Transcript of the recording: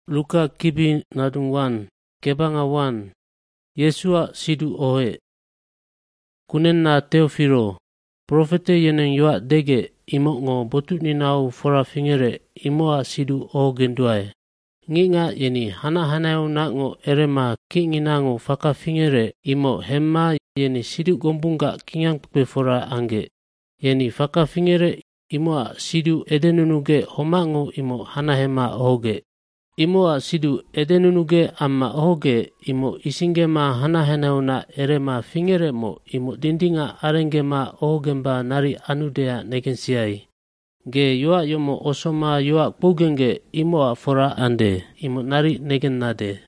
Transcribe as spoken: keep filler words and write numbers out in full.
Luka kibi nadung wan, kebanga wan, Yesua sidu ohe. Kunen na Teofilo, profete yeneng yoa dege imo ngo botut ni nau fora fingere imoa sidu o genduai. Nginga yeni hana hanau na ngo erema kinginango faka fingere imo hemma yeni sidu gombunga kingang pepe fora ange. Yeni faka fingere imoa sidu edenunuge homango imo hana hema oge. Imoa sidu edenunuge amma oge imo isingema hana hanau na erema fingere mo imo dindinga arengema ogemba nari anudea negensiai. Ge yoa yomo osoma yoa bugenge imoa fora ande imo nari negen nade.